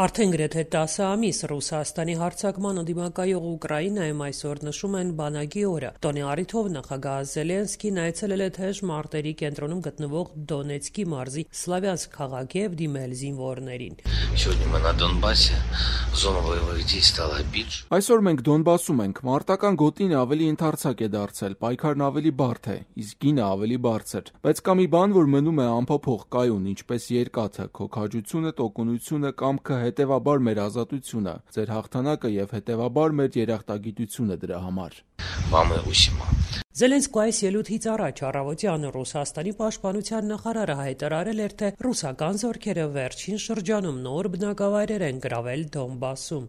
Արդեն գրեթե 10 ամիս Ռուսաստանի հարձակման ընդդիմակայող Ուկրաինայում այսօր նշում են բանակի օրը։ Տոնի առիթով նախագահ Զելենսկին այցելել է թեժ մարտերի կենտրոնում գտնվող Դոնեցկի մարզի Սլավյանսկ քաղաք եւ դիմել զինվորներին։ Այսօր մենք Դոնբասում ենք։ Մարտական գոտին ավելի ընդարձակ է դարձել, պայքարն ավելի բարդ է, իսկ գինը ավելի բարձր։ Բայց կա մի բան, որ մնում է անփոփոխ կայուն, ինչպես երկաթը, քո քաջությունը, տոկունությունը, կամքը, հետևաբար մեր ազատությունը, ձեր հաղթանակը եւ հետևաբար մեր երախտագիտությունը դրա համար։ Զելենսկու այս ելույթից առաջ առավոտյան Ռուսաստանի պաշտպանության նախարարը հայտարարել էր, թե ռուսական զորքերը վերջին շրջանում նոր բնակավայրեր են գրավել Դոնբասում։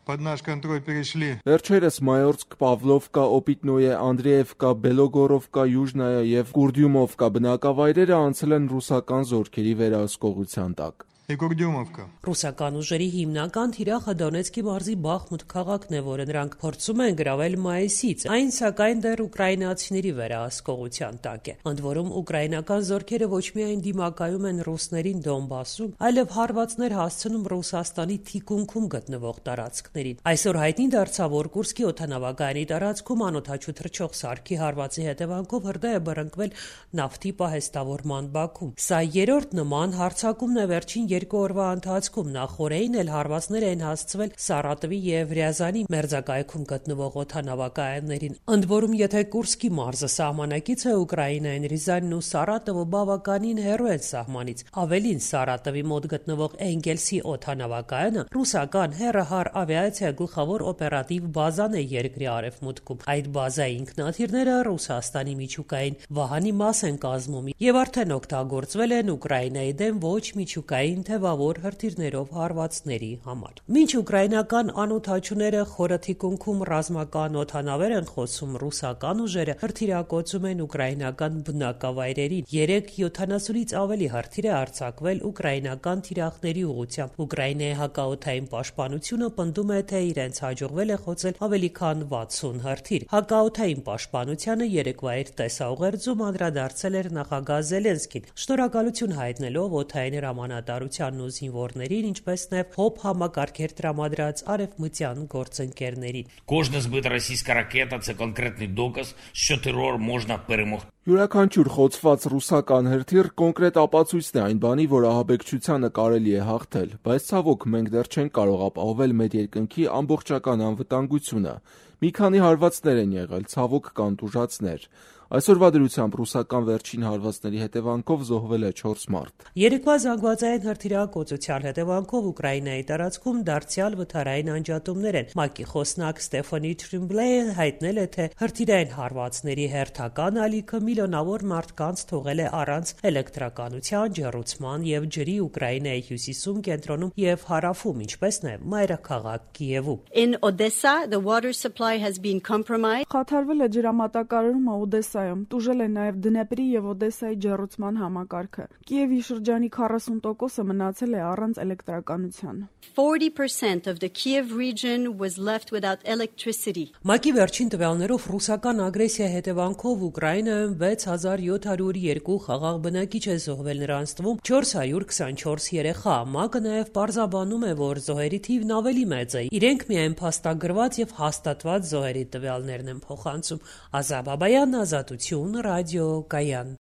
Վերջերս Մայորսկ, Պավլովկա, Օպիտնոյե, Անդրեևկա, Բելոգորովկա, Յուժնայա եւ Կուրդյումովկա բնակավայրերը անցել են ռուսական զորքերի վերահսկողության տակ։ Ռուսական ուժերի հիմնական թիրախը Դոնեցկի մարզի Բախմուտ քաղաքն է, որը նրանք փորձում են գրավել մայիսից, այն սակայն դեռ ուկրաինացիների վերահսկողության տակ է։ Ընդ որում ուկրաինական զորքերը ոչ միայն դիմակայում են ռուսներին Դոնբասում, այլև հարվածներ հասցնում Ռուսաստանի թիկունքում գտնվող տարածքներին։ Այսօր հայտնի դարձավ, որ Կուրսկի օդանավակայանի տարածքում անօդաչու թռչող սարքի հարվածի հետևանքով հրդեհ է բռնկվել նավթի պահեստավորման բաքում։ Սա երրորդ նման հարձակումն է վերջին 2 օրվա ընթացքում։ Նախորդին էլ հարվածներ են հասցվել Սարատովի եւ Ռյազանի մերձակայքում գտնվող օդանավակայաններին։ Ընդ որում, եթե Կուրսկի մարզը սահմանակից է Ուկրաինային, Ռիզանն ու Սարատովը բավականին հեռու են սահմանից։ Ավելին, Սարատովի մոտ գտնվող Էնգելսի օդանավակայանը ռուսական հեռահար ավիացիա գլխավոր օպերատիվ բազան է երկրի արևմուտքում։ Այդ բազայի ինքնաթիռները Ռուսաստանի միջուկային վահանի մաս են կազմում եւ արդեն օգտագործվել են Ուկրաինայի դեմ ոչ միջուկային թևավոր հրթիռներով հարվածների համար։ Մինչ ուկրաինական անօդաչուները խորը թիկունքում ռազմական օդանավեր են խոսում, ռուսական ուժերը հրթիռակոծում են ուկրաինական բնակավայրերին։ 370-ից ավելի հրթիռ է արձակվել ուկրաինական թիրախների ուղղությամբ։ Ուկրաինայի հակաօդային պաշտպանությունը պնդում է, թե իրենց հաջողվել է խոցել ավելի քան 60 հրթիռ։ Հակաօդային պաշտպանությանը երեկվա իր տեսաուղերձում անդրադարձել էր նախագահ Զելենսկին, շնորհակալություն հայտնելով օդային հրամանատարությանն ու զինվորներին, ինչպես նաև ՀՕՊ համակարգեր տրամադրած արևմտյան գործընկերներին։ Кожна збита російська ракета – це конкретний доказ, що терор можна перемогти. Յուրաքանչյուր խոցված ռուսական հրթիռ կոնկրետ ապացույցն է այն բանի, որ ահաբեկչությանը կարելի է հաղթել, բայց ցավոք մենք դեռ չենք կարող ապահովել մեր երկնքի ամբողջական անվտանգությունը։ Մի քանի հարվածներ են եղել, ցավոք կան տուժածներ։ Այսօրվա դրությամբ ռուսական վերջին հարվածների հետևանքով զոհվել է 4 մարդ։ Երեկվա զանգվածային հրթիռակոծության հետևանքով Ուկրաինայի տարածքում դարձյալ վթարային անջատումներ են։ ՄԱԿ-ի խոսնակ Ստեֆանի Թրիմբլեյը հայտնել է, թե հրթիռային հարվածների հերթական ալիքը միլիոնավոր մարդկանց թողել է առանց էլեկտրականության, ջեռուցման եւ ջրի Ուկրաինայի հյուսիսում, կենտրոնում եւ հարավում, ինչպես նաեւ մայրաքաղաք Կիևում։ In Odessa, the water supply has been compromised. Խաթարվել է ջրամատակարարումը Օդեսայում, տուժել է նաև Դնեպրի եւ Օդեսայի ջեռուցման համակարգը։ Կիևի շրջանի 40%-ը մնացել է առանց էլեկտրականության։ 40% of the Kiev region was left without electricity. ՄԱԿ-ի վերջին տվյալներով ռուսական ագրեսիայի հետևանքով Ուկրաինայում 6702 խաղաղ բնակիչ է զոհվել, նրանց թվում 424 երեխա։ ՄԱԿ-ը նաև պարզաբանում է, որ զոհերի թիվն ավելի մեծ է։ Իրենք միայն փաստագրված եւ հաստատված զոհերի տվյալներն են փոխանցում։ Ազատ Բաբայան, Ազատություն, ռադիո Կայան։